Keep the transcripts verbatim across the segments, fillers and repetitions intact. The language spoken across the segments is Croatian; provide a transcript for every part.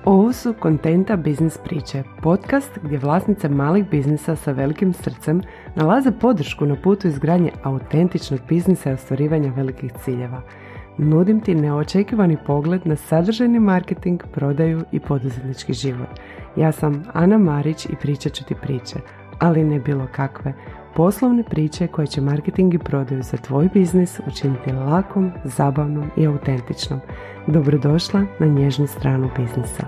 Ovo su Kontenta biznis priče, podcast gdje vlasnice malih biznisa sa velikim srcem nalaze podršku na putu izgradnje autentičnog biznisa i ostvarivanja velikih ciljeva. Nudim ti neočekivani pogled na sadržajni marketing, prodaju i poduzetnički život. Ja sam Ana Marić i pričat ću ti priče, ali ne bilo kakve. Poslovne priče koje će marketing i prodaju za tvoj biznis učiniti lakom, zabavnom i autentičnom. Dobrodošla na nježnu stranu biznisa.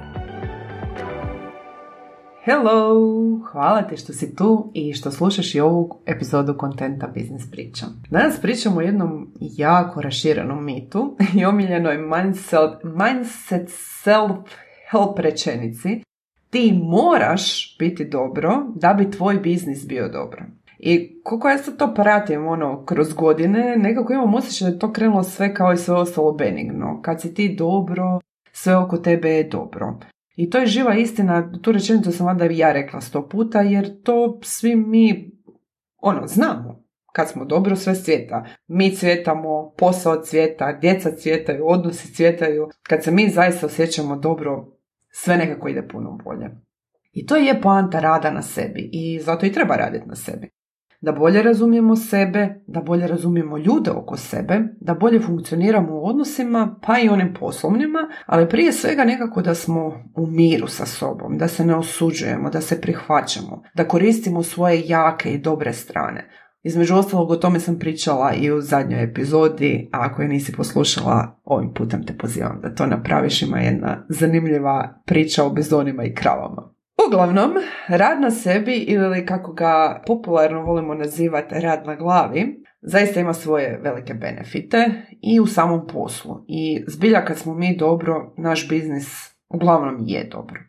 Hello! Hvala ti što si tu i što slušaš i ovu epizodu Kontenta biznis priča. Danas pričamo o jednom jako raširenom mitu i omiljenoj mindset, mindset self-help rečenici. Ti moraš biti dobro da bi tvoj biznis bio dobro. I koliko ja sad to pratim ono, kroz godine, nekako imam osjećaj da je to krenulo sve kao i sve ostalo benigno. Kad si ti dobro, sve oko tebe je dobro. I to je živa istina, tu rečenicu sam valjda i ja rekla sto puta, jer to svi mi ono, znamo. Kad smo dobro, sve cvjeta. Mi cvjetamo, posao cvjeta, djeca cvjetaju, odnosi cvjetaju. Kad se mi zaista osjećamo dobro, sve nekako ide puno bolje. I to je poanta rada na sebi i zato i treba raditi na sebi. Da bolje razumijemo sebe, da bolje razumijemo ljude oko sebe, da bolje funkcioniramo u odnosima, pa i onim poslovnima, ali prije svega nekako da smo u miru sa sobom, da se ne osuđujemo, da se prihvaćamo, da koristimo svoje jake i dobre strane. Između ostalog o tome sam pričala i u zadnjoj epizodi, a ako je nisi poslušala, ovim putem te pozivam da to napraviš, ima jedna zanimljiva priča o bizonima i kravama. Uglavnom, rad na sebi ili kako ga popularno volimo nazivati rad na glavi, zaista ima svoje velike benefite i u samom poslu. I zbilja kad smo mi dobro, naš biznis uglavnom je dobro.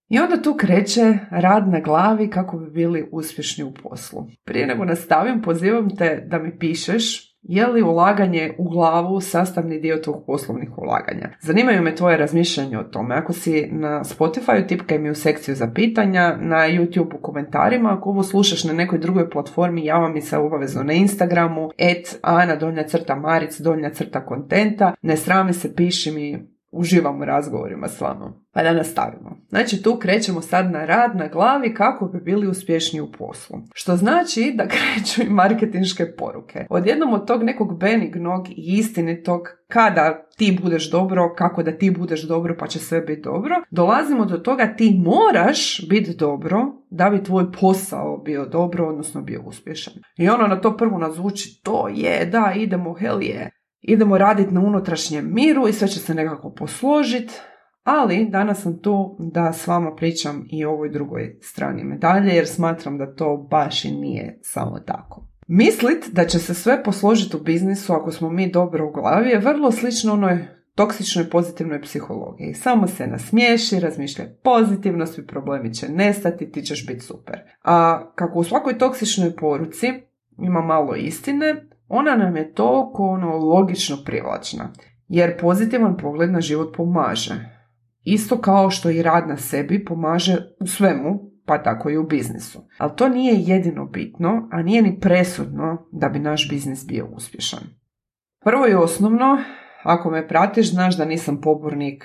I onda tu kreće rad na glavi kako bi bili uspješni u poslu. Prije nego nastavim, pozivam te da mi pišeš je li ulaganje u glavu sastavni dio tog poslovnih ulaganja. Zanimaju me tvoje razmišljanje o tome. Ako si na Spotify, tipkaj mi u sekciju za pitanja, na YouTube u komentarima. Ako ovo slušaš na nekoj drugoj platformi, javi mi se obavezno na Instagramu, et ana donja crta maric donja crta kontenta. Ne srami se, piši mi, uživam u razgovorima s vama. Pa da nastavimo. Znači tu krećemo sad na rad na glavi kako bi bili uspješni u poslu. Što znači da kreću i marketinške poruke. Odjednom od tog nekog benignog i istinitog kada ti budeš dobro, kako da ti budeš dobro pa će sve biti dobro, dolazimo do toga ti moraš biti dobro da bi tvoj posao bio dobro, odnosno bio uspješan. I ono na to prvo nazvuči, to je, da, idemo, hell je. Idemo raditi na unutrašnjem miru i sve će se nekako posložiti, ali danas sam tu da s vama pričam i o ovoj drugoj strani medalje, jer smatram da to baš i nije samo tako. Mislit da će se sve posložiti u biznisu ako smo mi dobro u glavi je vrlo slično onoj toksičnoj pozitivnoj psihologiji. Samo se nasmiješi, razmišljaj pozitivno, svi problemi će nestati, ti ćeš biti super. A kako u svakoj toksičnoj poruci ima malo istine, ona nam je toliko ono logično privlačna, jer pozitivan pogled na život pomaže. Isto kao što i rad na sebi pomaže u svemu, pa tako i u biznisu. Ali to nije jedino bitno, a nije ni presudno da bi naš biznis bio uspješan. Prvo i osnovno, ako me pratiš, znaš da nisam pobornik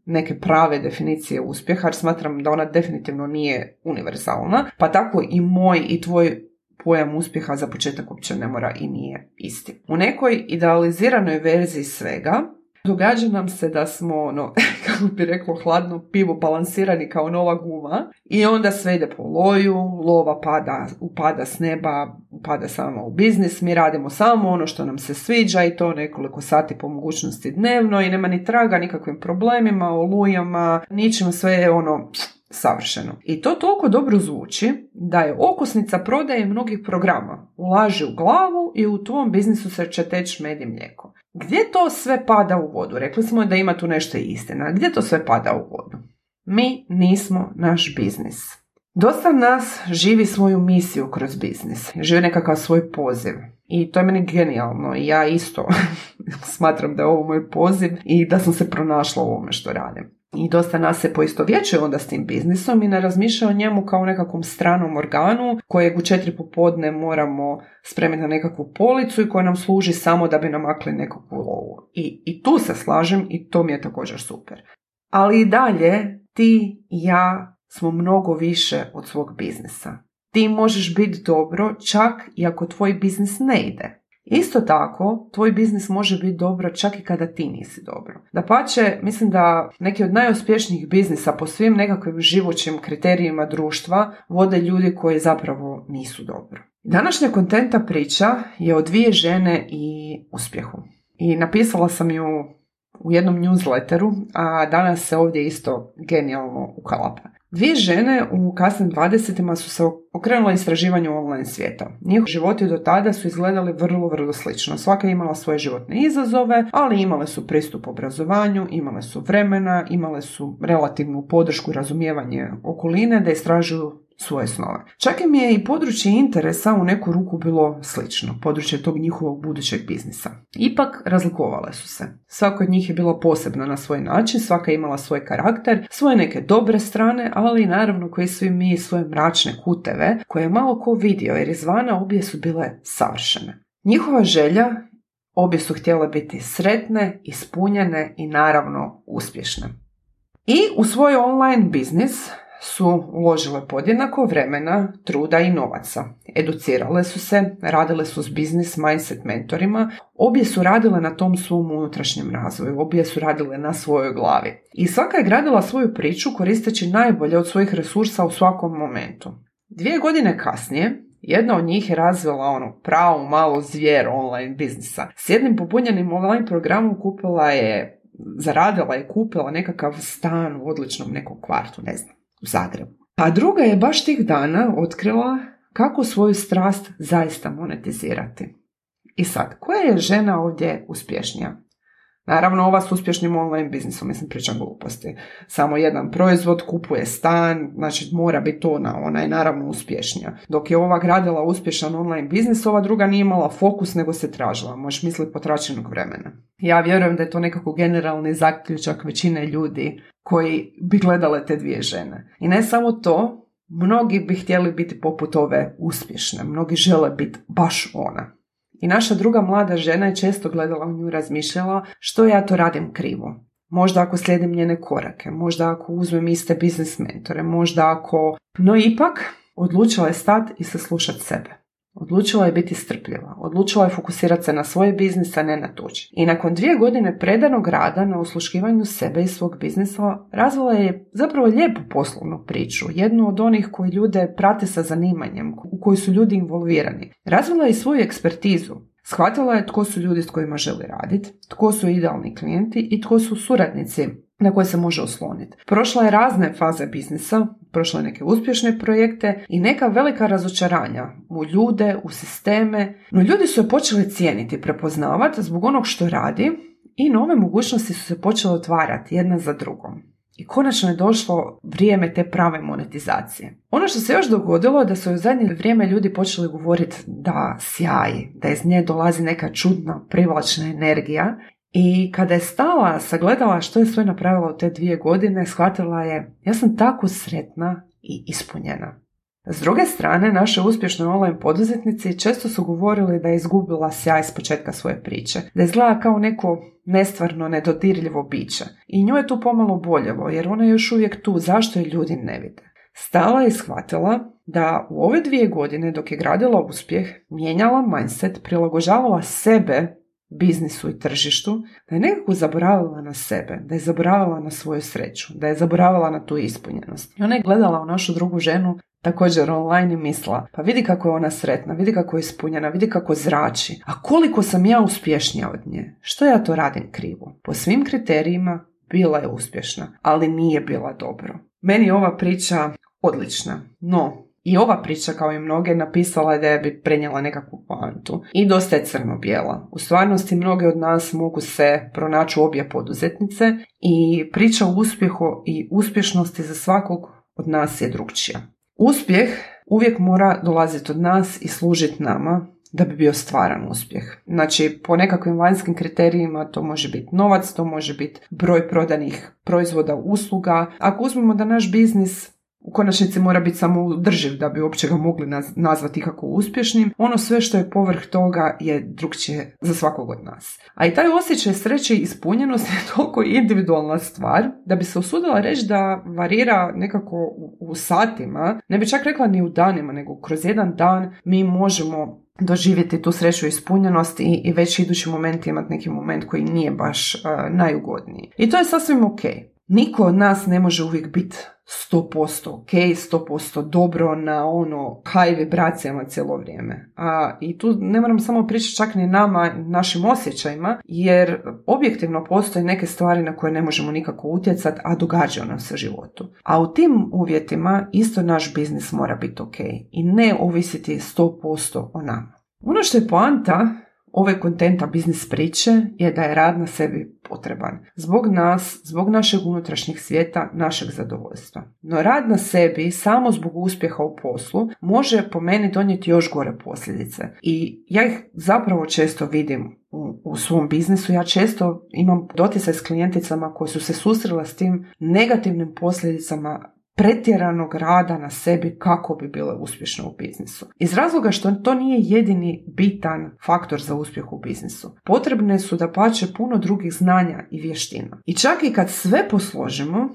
neke prave definicije uspjeha, jer smatram da ona definitivno nije univerzalna, pa tako i moj i tvoj pojam uspjeha za početak uopće ne mora i nije isti. U nekoj idealiziranoj verziji svega događa nam se da smo, ono, kako bi reklo hladno pivo, balansirani kao nova guma i onda sve ide po loju, lova pada, upada s neba, upada samo u biznis, mi radimo samo ono što nam se sviđa i to nekoliko sati po mogućnosti dnevno i nema ni traga nikakvim problemima, olujama, ničim, sve je ono savršeno. I to toliko dobro zvuči da je okosnica prodaje mnogih programa. Ulaži u glavu i u tvom biznisu se će teći med i mlijeko. Gdje to sve pada u vodu? Rekli smo da ima tu nešto istina. Gdje to sve pada u vodu? Mi nismo naš biznis. Dosta nas živi svoju misiju kroz biznis. Živi nekakav svoj poziv. I to je meni genijalno. I ja isto smatram da je ovo moj poziv i da sam se pronašla u ovome što radim. I dosta nas se poistovjećuje onda s tim biznisom i ne razmišlja o njemu kao nekakvom stranom organu kojeg u četiri popodne moramo spremiti na nekakvu policu i koja nam služi samo da bi namakli nekakvu lovu. I, i tu se slažem i to mi je također super. Ali i dalje ti i ja smo mnogo više od svog biznisa. Ti možeš biti dobro čak i ako tvoj biznis ne ide. Isto tako, tvoj biznis može biti dobro čak i kada ti nisi dobro. Dapače, mislim da neki od najuspješnijih biznisa po svim nekakvim živućim kriterijima društva vode ljudi koji zapravo nisu dobro. Današnja kontenta priča je o dvije žene i uspjehu. I napisala sam ju u jednom newsletteru, a danas se ovdje isto genijalno ukalapa. Dvije žene u kasnim dvadesetima su se okrenule istraživanju online svijeta. Njihovi životi do tada su izgledali vrlo, vrlo slično. Svaka je imala svoje životne izazove, ali imale su pristup obrazovanju, imale su vremena, imale su relativnu podršku i razumijevanje okoline da istražuju svoje snove. Čak im je i područje interesa u neku ruku bilo slično, područje tog njihovog budućeg biznisa. Ipak razlikovale su se. Svaka od njih je bila posebna na svoj način, svaka je imala svoj karakter, svoje neke dobre strane, ali i naravno koji svi mi svoje mračne kuteve, koje je malo ko vidio jer izvana obje su bile savršene. Njihova želja, obje su htjele biti sretne, ispunjene i naravno uspješne. I u svoj online biznis su uložile podjednako vremena, truda i novaca. Educirale su se, radile su s biznis mindset mentorima, obje su radile na tom svom unutrašnjem razvoju, obje su radile na svojoj glavi. I svaka je gradila svoju priču koristeći najbolje od svojih resursa u svakom momentu. Dvije godine kasnije, jedna od njih je razvila ono pravu malu zvijer online biznisa. S jednim popunjenim online programom kupila je, zaradila je, kupila nekakav stan u odličnom nekom kvartu, ne znam, u Zagrebu. A druga je baš tih dana otkrila kako svoju strast zaista monetizirati. I sad, koja je žena ovdje uspješnija? Naravno, ova s uspješnim online biznisom, mislim, pričam gluposti. Samo jedan proizvod, kupuje stan, znači mora biti ona, ona je naravno uspješnija. Dok je ova gradila uspješan online biznis, ova druga nije imala fokus, nego se tražila, možeš misliti potračenog vremena. Ja vjerujem da je to nekako generalni zaključak većine ljudi koji bi gledale te dvije žene. I ne samo to, mnogi bi htjeli biti poput ove uspješne, mnogi žele biti baš ona. I naša druga mlada žena je često gledala u nju i razmišljala što ja to radim krivo. Možda ako slijedim njene korake, možda ako uzmem iste biznis mentore, možda ako... No ipak, odlučila je stati i saslušati sebe. Odlučila je biti strpljiva. Odlučila je fokusirati se na svoje biznise, a ne na tuđi. I nakon dvije godine predanog rada na osluškivanju sebe i svog biznisa, razvila je zapravo lijepu poslovnu priču. Jednu od onih koji ljude prate sa zanimanjem, u koji su ljudi involvirani. Razvila je i svoju ekspertizu. Shvatila je tko su ljudi s kojima želi raditi, tko su idealni klijenti i tko su suradnici na koje se može osloniti. Prošla je razne faze biznisa, prošla je neke uspješne projekte i neka velika razočaranja u ljude, u sisteme, no ljudi su je počeli cijeniti, prepoznavati zbog onog što radi i nove mogućnosti su se počele otvarati jedna za drugom. I konačno je došlo vrijeme te prave monetizacije. Ono što se još dogodilo je da su u zadnje vrijeme ljudi počeli govoriti da sjaji, da iz nje dolazi neka čudna, privlačna energija. I kada je stala, sagledala što je sve napravila u te dvije godine, shvatila je, ja sam tako sretna i ispunjena. S druge strane, naše uspješne online poduzetnici često su govorili da je izgubila sjaj s početka svoje priče, da izgleda kao neko nestvarno, nedodirljivo biće. I nju je tu pomalo boljelo, jer ona je još uvijek tu, zašto je ljudi ne vide. Stala je i shvatila da u ove dvije godine dok je gradila uspjeh, mijenjala mindset, prilagođavala sebe biznisu i tržištu, da je nekako zaboravila na sebe, da je zaboravila na svoju sreću, da je zaboravila na tu ispunjenost. I ona je gledala u našu drugu ženu također online i mislila, pa vidi kako je ona sretna, vidi kako je ispunjena, vidi kako zrači, a koliko sam ja uspješnija od nje, što ja to radim krivo? Po svim kriterijima bila je uspješna, ali nije bila dobro. Meni je ova priča odlična, no i ova priča, kao i mnoge, napisala je da je bi prenijela nekakvu poantu. I dosta je crno-bijela. U stvarnosti mnoge od nas mogu se pronaći u obje poduzetnice i priča o uspjehu i uspješnosti za svakog od nas je drukčija. Uspjeh uvijek mora dolaziti od nas i služiti nama da bi bio stvaran uspjeh. Znači, po nekakvim vanjskim kriterijima to može biti novac, to može biti broj prodanih proizvoda, usluga. Ako uzmemo da naš biznis u konačnici mora biti samoodrživ da bi uopće ga mogli nazvati kako uspješnim. Ono sve što je povrh toga je drukčije za svakog od nas. A i taj osjećaj sreće i ispunjenosti je toliko individualna stvar da bi se usudila reći da varira nekako u, u satima, ne bi čak rekla ni u danima, nego kroz jedan dan mi možemo doživjeti tu sreću i ispunjenost i, i već idući moment imati neki moment koji nije baš uh, najugodniji. I to je sasvim ok. Niko od nas ne može uvijek biti sto posto ok, sto posto dobro na ono high vibracijama cijelo vrijeme. A i tu ne moram samo pričati čak ni nama, našim osjećajima, jer objektivno postoje neke stvari na koje ne možemo nikako utjecati, a događaju nam se u životu. A u tim uvjetima isto naš biznis mora biti ok i ne ovisiti sto posto o nama. Ono što je poanta ove kontenta biznis priče je da je rad na sebi potreban. Zbog nas, zbog našeg unutrašnjeg svijeta, našeg zadovoljstva. No rad na sebi samo zbog uspjeha u poslu može po meni donijeti još gore posljedice. I ja ih zapravo često vidim u, u svom biznisu. Ja često imam doticaj s klijenticama koje su se susrele s tim negativnim posljedicama pretjeranog rada na sebi kako bi bile uspješne u biznisu. Iz razloga što to nije jedini bitan faktor za uspjeh u biznisu. Potrebne su dapače puno drugih znanja i vještina. I čak i kad sve posložimo,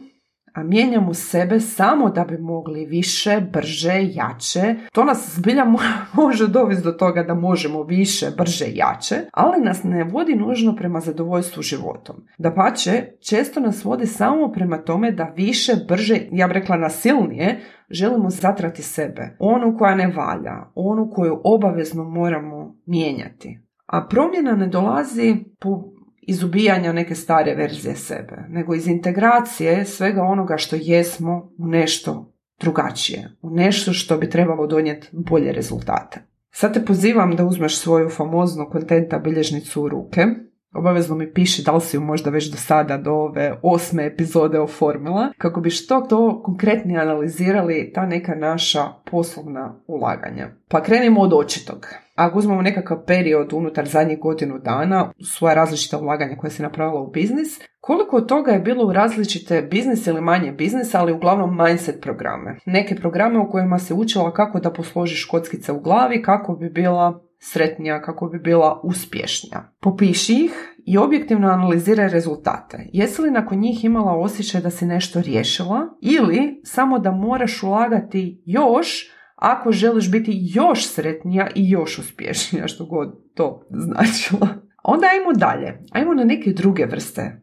a mijenjamo sebe samo da bi mogli više, brže, jače, to nas zbilja može dovesti do toga da možemo više, brže, jače, ali nas ne vodi nužno prema zadovoljstvu životom. Dapače, često nas vodi samo prema tome da više, brže, ja bih rekla nasilnije, želimo zatrati sebe. Onu koja ne valja, onu koju obavezno moramo mijenjati. A promjena ne dolazi po iz ubijanja neke stare verzije sebe, nego iz integracije svega onoga što jesmo u nešto drugačije, u nešto što bi trebalo donijeti bolje rezultate. Sad te pozivam da uzmeš svoju famoznu kontenta bilježnicu u ruke. Obavezno mi piši da li si ju možda već do sada, do ove osme epizode oformila, kako bi što to konkretnije analizirali ta neka naša poslovna ulaganja. Pa krenimo od očitog. Ako uzmemo nekakav period unutar zadnjih godinu dana, svoja različita ulaganja koja si napravila u biznis, koliko od toga je bilo u različite biznis ili manje biznis, ali uglavnom mindset programe. Neke programe u kojima se učila kako da posložiš kockice u glavi, kako bi bila sretnija, kako bi bila uspješnija. Popiši ih i objektivno analiziraj rezultate. Jesi li nakon njih imala osjećaj da si nešto riješila ili samo da moraš ulagati još ako želiš biti još sretnija i još uspješnija, što god to značilo. Onda ajmo dalje. Ajmo na neke druge vrste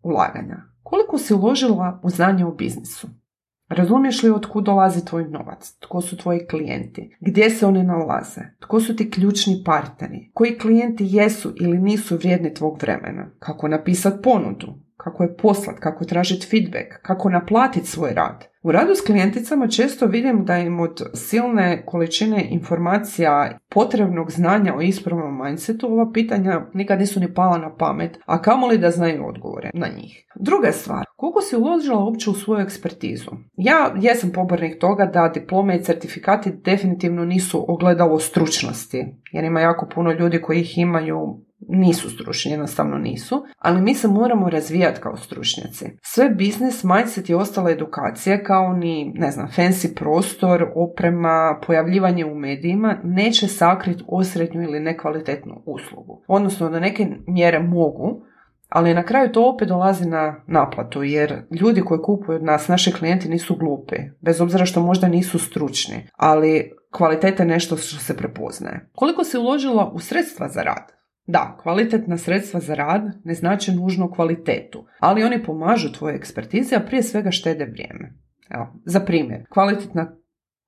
ulaganja. Koliko si uložila u znanje u biznisu? Razumiješ li od kud dolazi tvoj novac? Tko su tvoji klijenti? Gdje se oni nalaze? Tko su ti ključni partneri? Koji klijenti jesu ili nisu vrijedni tvog vremena? Kako napisati ponudu? Kako je poslat? Kako tražiti feedback? Kako naplatiti svoj rad? U radu s klijenticama često vidim da im od silne količine informacija, potrebnog znanja o ispravnom mindsetu, ova pitanja nikad nisu ni pala na pamet, a kamoli da znaju odgovore na njih. Druga stvar, koliko si uložila uopće u svoju ekspertizu? Ja jesam pobornik toga da diplome i certifikati definitivno nisu ogledalo stručnosti, jer ima jako puno ljudi koji ih imaju, nisu stručni, jednostavno nisu, ali mi se moramo razvijati kao stručnjaci. Sve biznis, mindset i ostale edukacije, kao ni, ne znam, fancy prostor, oprema, pojavljivanje u medijima, neće sakriti osrednju ili nekvalitetnu uslugu. Odnosno, do neke mjere mogu, ali na kraju to opet dolazi na naplatu, jer ljudi koji kupuju od nas, naši klijenti, nisu glupi, bez obzira što možda nisu stručni, ali kvaliteta je nešto što se prepoznaje. Koliko si uložila u sredstva za rad? Da, kvalitetna sredstva za rad ne znači nužno kvalitetu, ali oni pomažu tvojoj ekspertizi, a prije svega štede vrijeme. Evo, za primjer, kvalitetna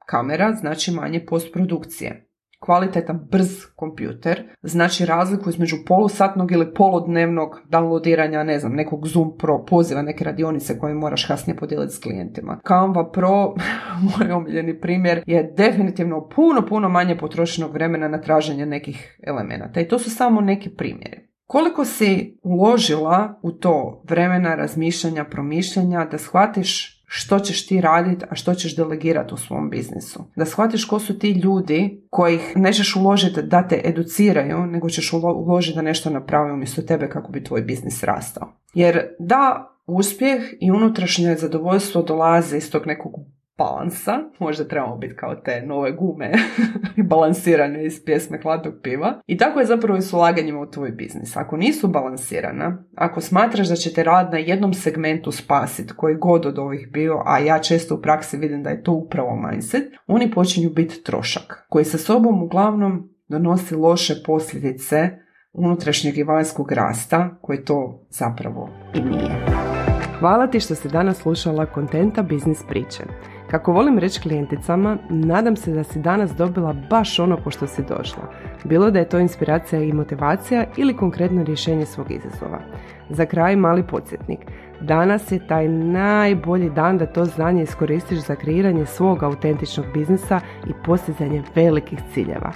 kamera znači manje postprodukcije. Kvalitetan brz kompjuter znači razliku između polusatnog ili poludnevnog downloadiranja, ne znam, nekog Zoom Pro poziva, neke radionice koje moraš kasnije podijeliti s klijentima. Canva Pro, moj omiljeni primjer, je definitivno puno, puno manje potrošenog vremena na traženje nekih elemenata. I to su samo neki primjeri. Koliko si uložila u to vremena, razmišljanja, promišljanja da shvatiš što ćeš ti raditi, a što ćeš delegirati u svom biznisu. Da shvatiš ko su ti ljudi kojih nećeš uložiti da te educiraju, nego ćeš uložiti da nešto napravi umjesto tebe kako bi tvoj biznis rastao. Jer da, uspjeh i unutrašnje zadovoljstvo dolaze iz tog nekog balansa, možda trebamo biti kao te nove gume balansirane iz pjesme Hladnog piva. I tako je zapravo i s ulaganjima u tvoj biznis. Ako nisu balansirana, ako smatraš da će te rad na jednom segmentu spasiti, koji god od ovih bio, a ja često u praksi vidim da je to upravo mindset, oni počinju biti trošak, koji sa sobom uglavnom donosi loše posljedice unutrašnjeg i vanjskog rasta, koji to zapravo i nije. Hvala ti što si danas slušala Kontenta biznis priče. Kako volim reći klijenticama, nadam se da si danas dobila baš ono po što si došla. Bilo da je to inspiracija i motivacija ili konkretno rješenje svog izazova. Za kraj mali podsjetnik. Danas je taj najbolji dan da to znanje iskoristiš za kreiranje svog autentičnog biznisa i postizanje velikih ciljeva.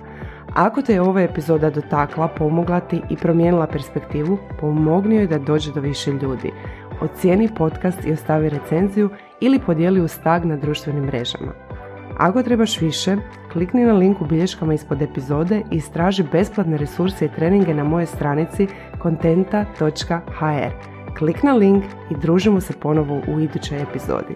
Ako te je ova epizoda dotakla, pomogla ti i promijenila perspektivu, pomogni joj da dođe do više ljudi. Ocijeni podcast i ostavi recenziju ili podijeli uz tag na društvenim mrežama. Ako trebaš više, klikni na link u bilješkama ispod epizode i istraži besplatne resurse i treninge na mojoj stranici kontenta točka ha er. Klik na link i družimo se ponovo u idućoj epizodi.